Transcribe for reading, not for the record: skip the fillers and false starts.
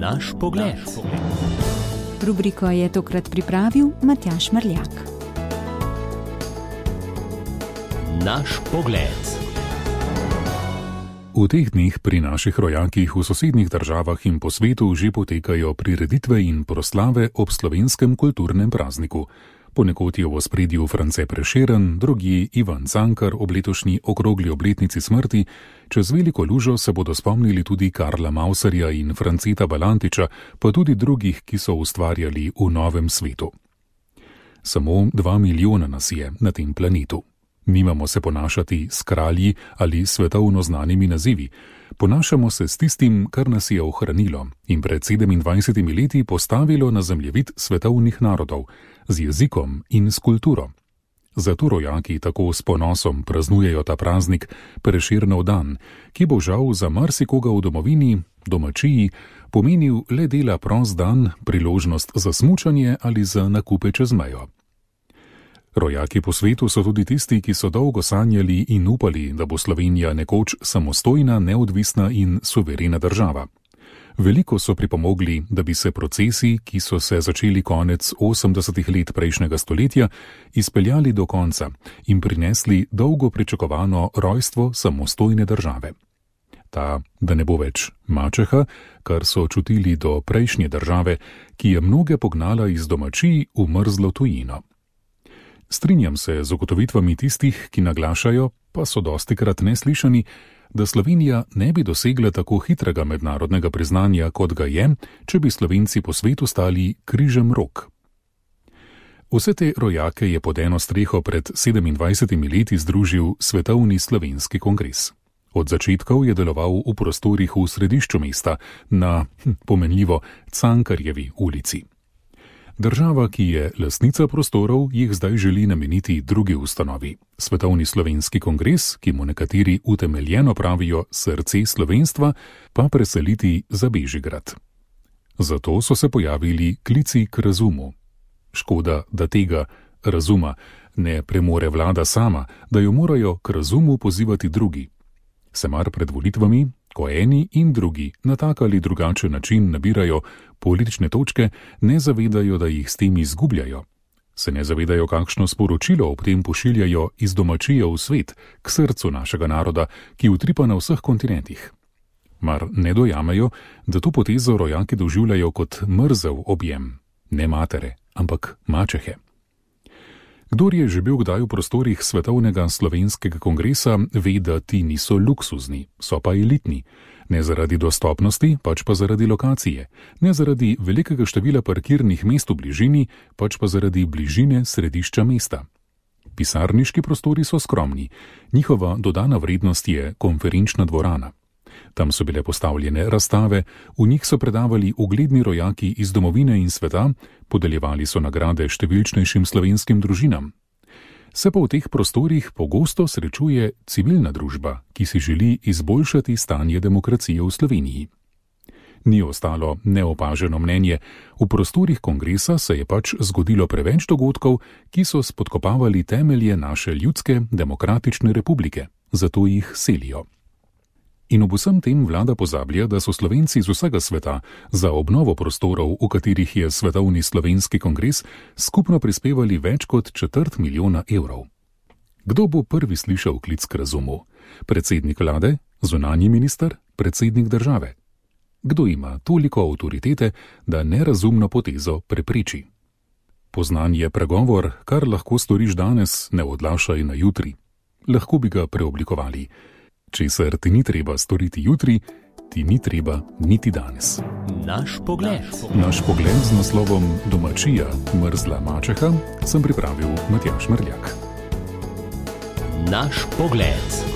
Naš pogled. Rubriko je tokrat pripravil Matjaž Mrljak. Naš pogled. V teh dneh pri naših rojakih v sosednjih državah in po svetu že potekajo prireditve in proslave ob slovenskem kulturnem prazniku. Ponekod je v ospredju France Prešeren, drugje Ivan Cankar ob letošnji okrogli obletnici smrti, čez veliko lužo se bodo spomnili tudi Karla Mauserja in Franceta Balantiča, pa tudi drugih, ki so ustvarjali v novem svetu. Samo 2 milijona nas je na tem planetu. Nimamo se ponašati s kralji ali svetovno znanimi nazivi. Ponašamo se s tistim, kar nas je ohranilo in pred 27 leti postavilo na zemljevid svetovnih narodov, z jezikom in s kulturo. Zato rojaki tako s ponosom praznujejo ta praznik, Prešernov dan, ki bo žal za marsikoga v domovini, domačiji, pomenil le dela prost dan, priložnost za smučanje ali za nakupe čez mejo. Rojaki po svetu so tudi tisti, ki so dolgo sanjali in upali, da bo Slovenija nekoč samostojna, neodvisna in suverena država. Veliko so pripomogli, da bi se procesi, ki so se začeli konec 80. let prejšnjega stoletja, izpeljali do konca in prinesli dolgo pričakovano rojstvo samostojne države. Ta, da ne bo več mačeha, kar so čutili do prejšnje države, ki je mnoge pognala iz domačij v mrzlo tujino. Strinjam se z ugotovitvami tistih, ki naglašajo, pa so dostikrat neslišani, da Slovenija ne bi dosegla tako hitrega mednarodnega priznanja, kot ga je, če bi Slovenci po svetu stali križem rok. Vse te rojake je pod eno streho pred 27 leti združil Svetovni slovenski kongres. Od začetkov je deloval v prostorih v središču mesta, na, pomenljivo, Cankarjevi ulici. Država, ki je lastnica prostorov, jih zdaj želi nameniti drugi ustanovi. Svetovni slovenski kongres, ki mu nekateri utemeljeno pravijo srce slovenstva, pa preseliti za Bežigrad. Zato so se pojavili klici k razumu. Škoda, da tega razuma ne premore vlada sama, da jo morajo k razumu pozivati drugi. Se mar pred volitvami, ko eni in drugi na tak ali drugačen način nabirajo politične točke, ne zavedajo, da jih s tem izgubljajo. Se ne zavedajo, kakšno sporočilo ob tem pošiljajo iz domačije v svet, k srcu našega naroda, ki utripa na vseh kontinentih. Mar ne dojamejo, da to potezo rojaki doživljajo kot mrzel objem, ne matere, ampak mačehe. Kdor je že bil kdaj v prostorih Svetovnega slovenskega kongresa, ve, da ti niso luksuzni, so pa elitni. Ne zaradi dostopnosti, pač pa zaradi lokacije. Ne zaradi velikega števila parkirnih mest v bližini, pač pa zaradi bližine središča mesta. Pisarniški prostori so skromni. Njihova dodana vrednost je konferenčna dvorana. Tam so bile postavljene razstave, v njih so predavali ugledni rojaki iz domovine in sveta, podeljevali so nagrade številčnejšim slovenskim družinam. Se pa v teh prostorih pogosto srečuje civilna družba, ki si želi izboljšati stanje demokracije v Sloveniji. Ni ostalo neopaženo mnenje, v prostorih kongresa se je pač zgodilo preveč dogodkov, ki so spodkopavali temelje naše ljudske demokratične republike, zato jih selijo. In ob vsem tem vlada pozablja, da so Slovenci z vsega sveta za obnovo prostorov, v katerih je Svetovni slovenski kongres, skupno prispevali več kot 250 000 evrov. Kdo bo prvi slišal klic k razumu? Predsednik vlade, zunanji minister, predsednik države? Kdo ima toliko avtoritete, da nerazumno potezo prepreči? Poznan je pregovor, kar lahko storiš danes, ne odlašaj na jutri. Lahko bi ga preoblikovali. Česar ti ni treba storiti jutri, ti ni treba niti danes. Naš pogled. Naš pogled z naslovom Domačija, mrzla mačeha sem pripravil Matjaž Mrljak. Naš pogled.